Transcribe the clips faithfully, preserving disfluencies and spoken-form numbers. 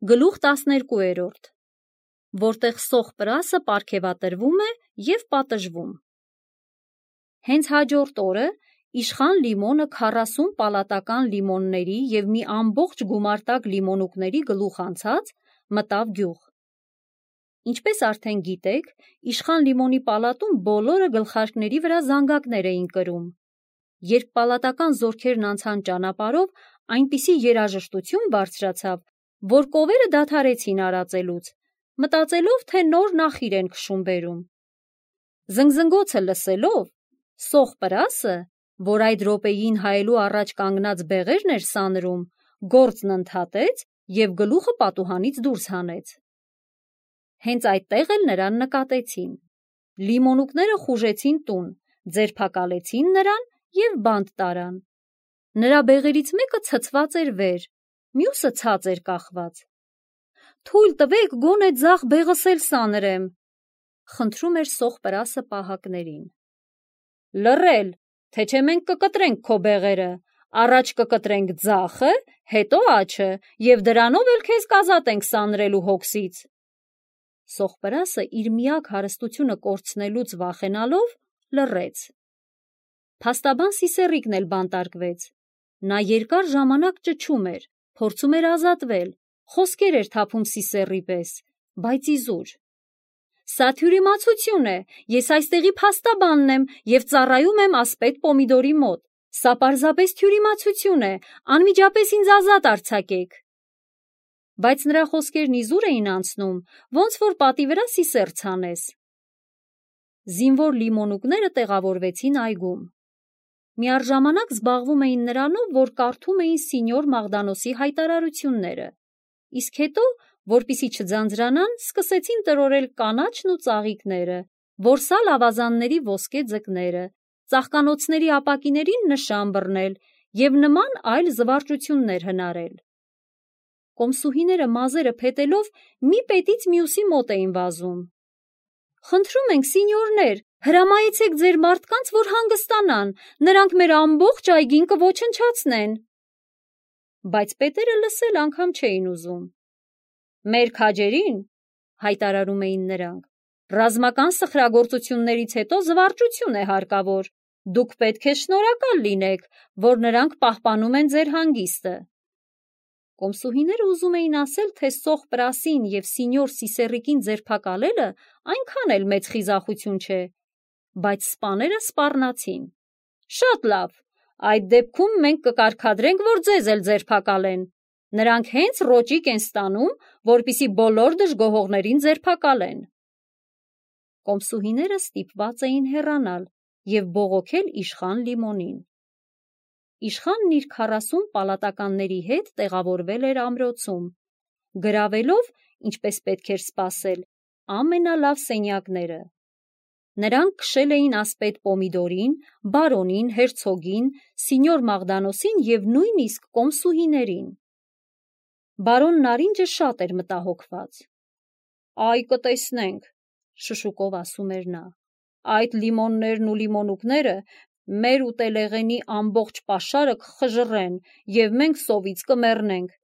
Գլուխ տասներկուերորդ, որտեղ սոխ պրասը պարգևատրվում է և պատժվում։ Հենց հաջորդ օրը իշխան Լիմոնը քառասուն պալատական լիմոնների և մի ամբողջ գումարտակ լիմոնուկների գլուխ անցած մտավ գյուղ։ Ինչպես արդեն գիտեք, իշխան Լիմոնի պալատում բոլորը գլխարկների վրա զանգակներ էին կրում։ Երբ պալատական զորքերն անցան ճանապարհով, այնպիսի երաժշտություն բարձրացավ, որ կովերը դադարեցին արածելուց, մտածելով, թե նոր նախիր են քշում բերում։ Զնգզնգոցը լսելով, սոխ պրասը, որ այդ րոպեին հայելու առաջ կանգնած բեղերն էր սանրում, գործն ընդհատեց և գլուխը պատուհանից դուրս հանեց։ Հենց այդտեղ էլ նրան նկատեցին։ Լիմոնուկները խուժեցին տուն, ձերբակալեցին նրան և բանտ տարան։ Նրա բեղերից մեկը ցցված էր վեր, մյուսը ցած էր կախված։ «Թույլ տվեք գոնե ձախ բեղս էլ սանրեմ», խնդրում էր սոխ պրասը պահակներին։ «Լռել, թե չէ մենք կկտրենք քո բեղերը, առաջ կկտրենք ձախը, հետո աջը և դրանով էլ քեզ կազատենք սանրելու հոգսից»։ Սոխ պրասը իր միակ հարստությունը կորցնելուց վախենալով լռեց։ Փաստաբան Սիսեռիկն էլ բանտարկվեց։ Նա երկար ժամանակ ճչում էր, փորձում էր ազատվել, խոսքեր էր թափում Սիսեռի պես, բայց իզուր։ «Սա թյուրիմացություն է, ես այստեղի փաստաբանն եմ և ծառայում եմ ասպետ Պոմիդորի մոտ, սա պարզապես թյուրիմացություն է, անմիջապես ինձ ազատ արձակեք»։ Բայց նրա խոսքերն իզուր էին անցնում, ոնց որ պատի վրա սիսեռ ցանես։ Զինվոր լիմոնուկները տեղավորվեցին այգում։ Միառժամանակ զբաղվում էին նրանով, որ կարդում էին սինյոր Մաղդանոսի հայտարարությունները, իսկ հետո, որպեսզի չձանձրանան, սկսեցին տրորել կանաչն ու ծաղիկները, որսալ ավազանների ոսկե ձկները, ծաղկանոցների ապակիներին նշան բռնել և նման այլ զվարճություններ հնարել։ Կոմսուհիները մազերը փետելով մի պետից մյուսի մոտ էին վազում։ «Խնդրում ենք, սինյորներ, հրամայեցեք ձեր մարդկանց, որ հանգստանան, նրանք մեր ամբողջ այգին կոչնչացնեն»։ Բայց պետերը լսել անգամ չէին ուզում։ «Մեր քաջերին, հայտարարում էին նրանք, ռազմական սխրագործություններից հետո զվարճություն է հարկավոր, դուք պետք է շնորհակալ լինեք, որ նրանք պահպանում են ձեր հանգիստը»։ Կոմսուհիները ուզում էին ասել, թե սոխ պրասին և սինյոր Սիսեռիկին ձերբակալելը այնքան էլ մեծ խիզախություն չէ, բայց սպաները սպառնացին։ «Շատ լավ, այդ դեպքում մենք կկարգադրենք, որ ձեզ էլ ձերբակալեն, նրանք հենց ռոճիկ են ստանում, որպեսզի բոլոր դժգոհողներին ձերբակալեն»։ Կոմսուհիները ստիպված էին հեռանալ և բողոքել իշխան Լիմոնին։ Իշխանն իր քառասուն պալատականների հետ տեղավորվել էր ամրոցում, գրավելով, ինչպես պետք էր սպասել, ամենալավ սենյակները։ Նրանք քշել էին ասպետ Պոմիդորին, բարոնին, հերցոգին, սինյոր Մաղդանոսին և նույնիսկ կոմսուհիներին։ Բարոն Նարինջը շատ էր մտահոգված։ «Այ կտեսնենք», շշուկով ասում էր նա, «այդ լիմոններն ու լիմոնուկները մեր ուտելեղենի ամբողջ պաշարը կխժռեն և մենք սովից կմեռնենք։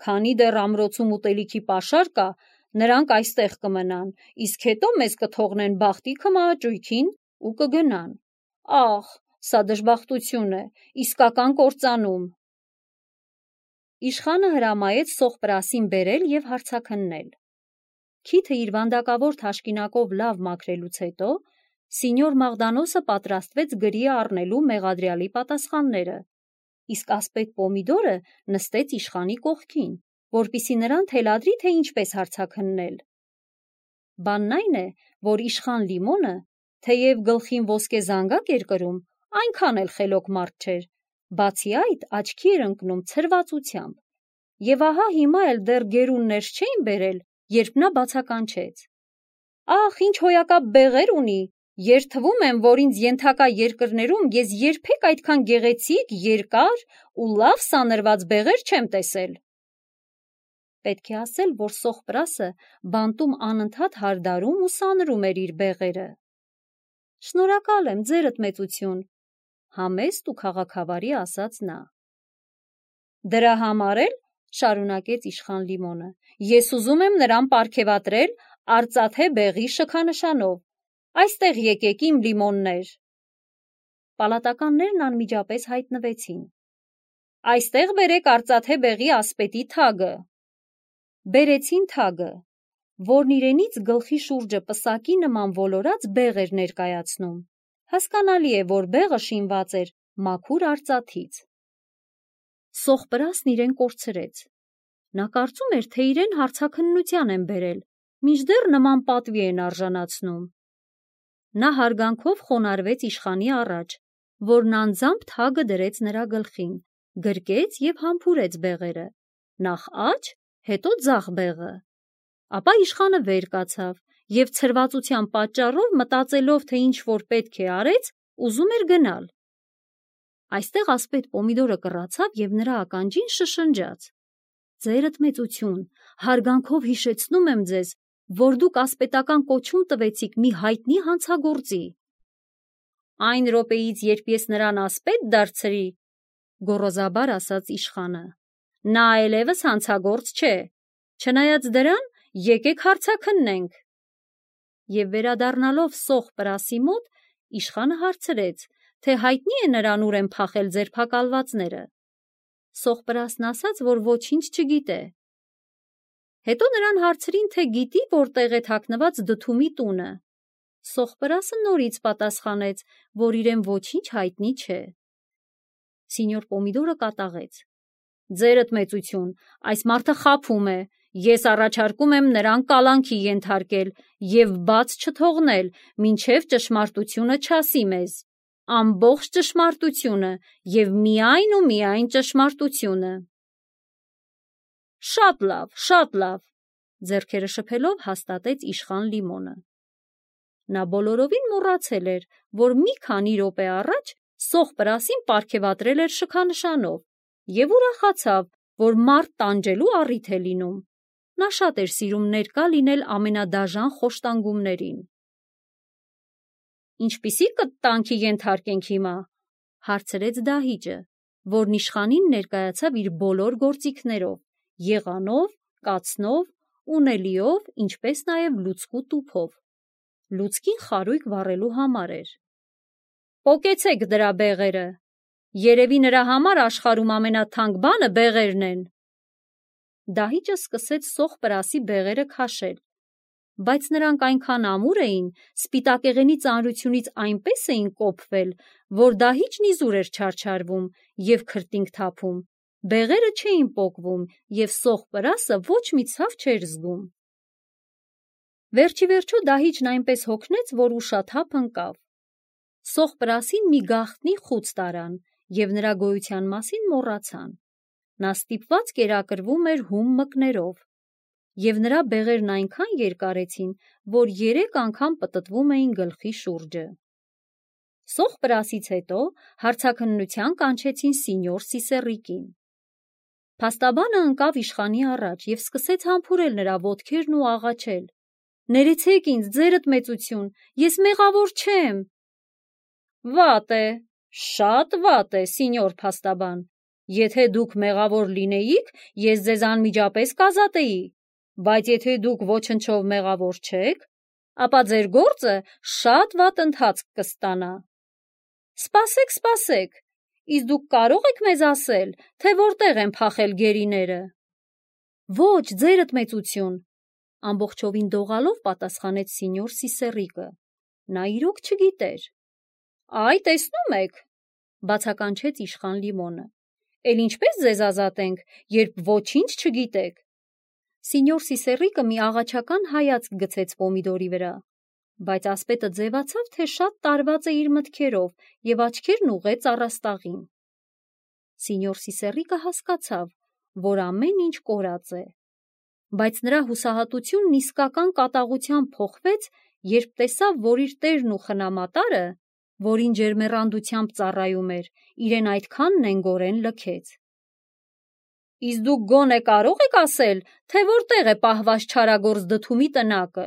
Քանի դեռ ամրոցում ուտելիքի պաշար կա, նրանք այստեղ կմնան, իսկ հետո մեզ կթողնեն բախտի քմահաճույքին ու կգնան։ Ախ, սա դժբախտություն է, իսկական կործանում»։ Իշխանը հրամայեց սոխ պրասին բերել և հարցաքննել։ Քիթը իր վանդակավոր թաշկինակով լավ մաքրելուց հետո, սինյոր Մաղդանոսը պատրաստվեց գրի առնելու մեղադրյալի պատասխանները, իսկ ասպետ Պոմիդորը նստեց իշխանի կողքին, որպեսզի նրան թելադրի, թե ինչպես հարցաքննել։ Բանն այն է, որ իշխան Լիմոնը, թեև գլխին ոսկե զանգակ էր կրում, այնքան էլ խելոք մարդ չէր, բացի այդ աչքի էր ընկնում ցրվածությամբ։ Եվ ահա հիմա էլ դեռ գերուններ չէին բերել, երբ նա բացականչեց. «Ախ, ինչ հոյակապ բեղեր ունի, երդվում եմ, որ ինձ ենթակա երկրներում ես երբեք այդքան գեղեցիկ, երկար ու լավ սանրված բեղեր չեմ տեսել»։ Պետք է ասել, որ սոխ պրասը բանտում անընդհատ հարդարում ու սանրում էր իր բեղերը։ «Շնորհակալ եմ, ձերդ մեծություն», համեստ ու քաղաքավարի ասաց նա։ «Դրա համար էլ շարունակեց իշխան Լիմոնը, ես ուզում եմ նրան պարգևատրել արծաթե բեղի շքանշանով, այստեղ եկեք իմ լիմոններ։ Պալատականներն անմիջապես հայտնվեցին։ Այստեղ բերեք արծաթե բեղի ասպետի թագը։ Բերեցին թագը, որն իրենից գլխի շուրջը պսակի նման ոլորած բեղ էր ներկայացնում։ Հասկանալի է, որ բեղը շինված էր մաքուր արծաթից։ Սողպրասն իրեն կորցրեց։ Նա կարծում էր, թե իրեն հարցաքննության են բերել, մինչդեռ նման պատվի են արժանացնում։ Նա հարգանքով խոնարհվեց իշխանի առաջ, որն անձամբ թագը դրեց նրա գլխին, գրկեց և համբուրեց բեղերը, նախ աջ, հետո ձախ բեղը։ Ապա իշխանը վեր կացավ և ցրվածության պատճառով, մտածելով, թե ինչ-որ պետք է արեց, ուզում էր գնալ։ Այստեղ ասպետ Պոմիդորը կռացավ և նրա ականջին շշնջաց. «Ձերդ մեծություն, հարգանքով հիշեցնում եմ ձեզ, որ դուք ասպետական կոչում տվեցիք մի հայտնի հանցագործի»։ «Այն րոպեից, երբ ես նրան ասպետ դարձրի, գոռոզաբար ասաց իշխանը, նա այլևս հանցագործ չէ, չնայած դրան, եկեք հարցաքննենք»։ Եվ վերադառնալով Սողպրասի մոտ, իշխանը հարցրեց, թե հայտնի է նրան ուր են փախել ձերբակալվածները։ Սողպրասն ասաց, որ ոչինչ չգիտե։ Հետո նրան հարցրին, թե գիտի որտեղ է թաքնված Դդումի տունը։ Սողպրասը նորից պատասխանեց, որ իրեն ոչինչ հայտնի չէ։ Սինյոր Պոմիդորը կատաղեց. «Ձերդ մեծություն, այս մարդը խաբում է, ես առաջարկում եմ նրան կալանքի ենթարկել և բաց չթողնել, մինչև ճշմարտությունը չասի մեզ, ամբողջ ճշմարտությունը և միայն ու միայն ճշմարտությունը»։ «Շատ լավ, շատ լավ», ձեռքերը շփելով հաստատեց իշխան Լիմոնը։ Նա բոլորովին մոռացել էր, որ մի քանի րոպե առաջ Սողպրասին պարգևատրել էր շքանշանով և ուրախացավ, որ մարդ տանջելու առիթ է լինում։ Նա շատ էր սիրում ներկա լինել ամենադաժան խոշտանգումներին։ «Ինչպիսի կտանքի ենթարկենք հիմա», հարցրեց դահիճը, որն իշխանին ներկայացավ իր բոլոր գործիքներով՝ եղանով, կացնով, ունելիով, ինչպես նաև լուցկու տուփով։ Լուցկին խարույկ վառելու համար էր։ «Պոկեցեք դրա բեղերը, երևի նրա համար աշխարհում ամենաթանկ բանը բեղերն են»։ Դահիճը սկսեց Սողպրասի բեղերը քաշել, բայց նրանք այնքան ամուր էին, սպիտակեղենի ծանրությունից այնպես էին կոփվել, որ դահիճն իզուր էր չարչարվում և քրտինք թափում, բեղերը չէին պոկվում և Սողպրասը ոչ մի ցավ չէր զգում։ Վերջիվերջո դահիճն այնպես հոգնեց, որ ուշաթափ ընկավ։ Սողպրասին մի գաղտնի խուց տարան և նրա գոյության մասին մոռացան։ Նա ստիպված կերակրվում էր հում մկներով, և նրա բեղերն այնքան երկարեցին, որ երեք անգամ պտտվում էին գլխի շուրջը։ Սողպրասից հետո հարցաքննության կանչեցին սինյոր Սիսեռիկին։ Փաստաբանը ընկավ իշխանի առաջ և սկսեց համբուրել նրա ոտքերն ու աղաչել. «Ներեցեք ինձ, ձերդ մեծություն, ես մեղավոր չեմ»։ «Վատ է, շատ վատ է, սինյոր փաստաբան, եթե դուք մեղավոր լինեիք, ես ձեզ անմիջապես կազատեի, բայց եթե դուք ոչնչով մեղավոր չեք, ապա ձեր գործը շատ վատ ընթացք կստանա»։ «Սպասեք, սպասեք, իսկ դուք կարո՞ղ եք մեզ ասել, թե որտեղ են փախել գերիները»։ «Ոչ, ձերդ մեծություն», ամբողջովին դողալով պատասխանեց սինյոր Սիսեռիկը։ Նա իրոք չգիտեր։ «Այ, տեսնում եք», բացականչեց իշխան Լիմոնը, «էլ ինչպես ձեզ ազատենք, երբ ոչինչ չգիտեք»։ Սինյոր Սիսեռիկը մի աղաչական հայացք գցեց Պոմիդորի վրա, բայց ասպետը ձևացավ, թե շատ տարված է իր մտքերով և աչքերն ուղղեց առաստաղին։ Սինյոր Սիսեռիկը հասկացավ, որ ամեն ինչ կորած է, բայց նրա հուսահատությունն իսկական կատաղությամբ փոխվեց, երբ տեսավ, որ իր տերն ու խնամատարը, որին ջերմեռանդությամբ ծառայում էր, իրեն այդքան նենգորեն լքեց։ «Իսկ դուք գոնե կարո՞ղ եք ասել, թե որտեղ է պահված չարագործ Դդումի տնակը»։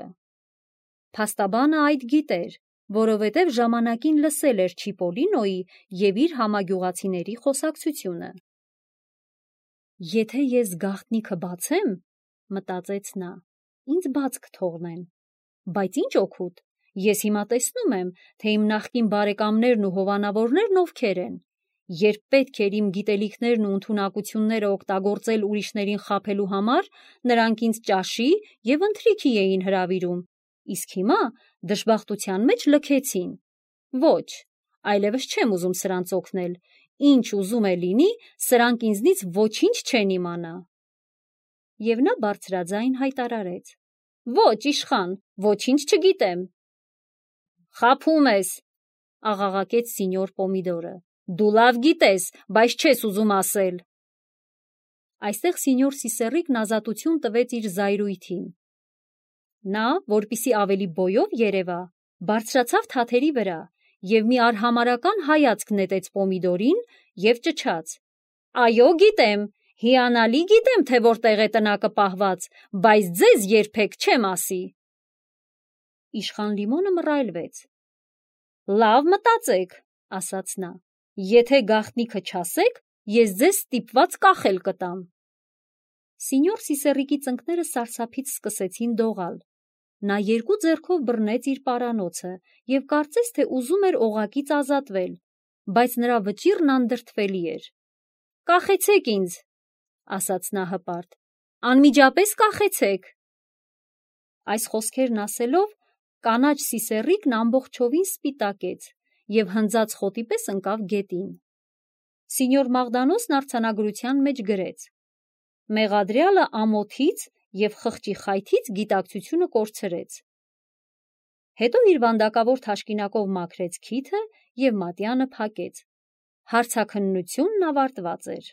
Փաստաբանը այդ գիտեր, որովհետև ժամանակին լսել էր Չիպոլինոյի և իր համագյուղացիների խոսակցությունը։ Եթե ես գաղտնիքը բացեմ, մտածեց նա, ինձ բաց կթողնեն, բայց ինչ օգուտ, ես հիմա տեսնում եմ, թե իմ նախկին բարեկամներն ու հովանավորներն ովքեր են, երբ պետք էր իմ գիտելիքներն ու ընդունակությունները օգտագործել ուրիշներին խաբելու համար, նրանք ինձ ճաշի և ընթրիքի էին հրավիրում, իսկ հիմա դժբախտության մեջ լքեցին, ոչ, այլևս չեմ ուզում սրանց օգնել, ինչ ուզում է լինի, սրանք ինձնից ոչինչ չեն իմանա։ Եվ նա բարձրաձայն հայտարարեց. Ոչ, իշխան, ոչինչ չգիտեմ։ Խաբում ես, աղաղակեց սինյոր Պոմիդորը, դու լավ գիտես, բայց չես ուզում ասել։ Այստեղ սինյոր Սիսեռիկն ազատություն տվեց իր զայրույթին։ Նա, որպեսզի ավելի բոյով երևա, բարձրացավ թաթերի վրա և մի արհամարհական հայացք նետեց Պոմիդորին և ճչաց. Այո, գիտեմ, հիանալի գիտեմ, թե որտեղ է տնակը պահված, բայց ձեզ երբեք չեմ ասի։ Իշխան Լիմոնը մռայլվեց։ Լավ մտածեք, ասաց նա, եթե գաղտնիքը չասեք, ես ձեզ ստիպված կախել կտամ։ Սինյոր Սիսեռիկի ծնկները սարսափից սկսեցին դողալ։ Նա երկու ձեռքով բռնեց իր պարանոցը և կարծես թե ուզում էր օղակից ազատվել, բայց նրա վճիռն անդրդվելի էր։ Կախեցեք ինձ, ասաց նա հպարտ, անմիջապես կախեցեք։ Այս խոսքերն ասելով, կանաչ Սիսեռիկն ամբողջովին սպիտակեց և հնձած խոտի պես ընկավ գետին։ Սինյոր Մաղդանոսն արձանագրության մեջ գրեց. Մեղադրյալը ամոթից և խղճի խայթից գիտակցությունը կորցրեց։ Հետո իր վանդակավոր թաշկինակով մաքրեց քիթը և մատյանը փակեց։ Հարցաքննությունն ավարտված էր։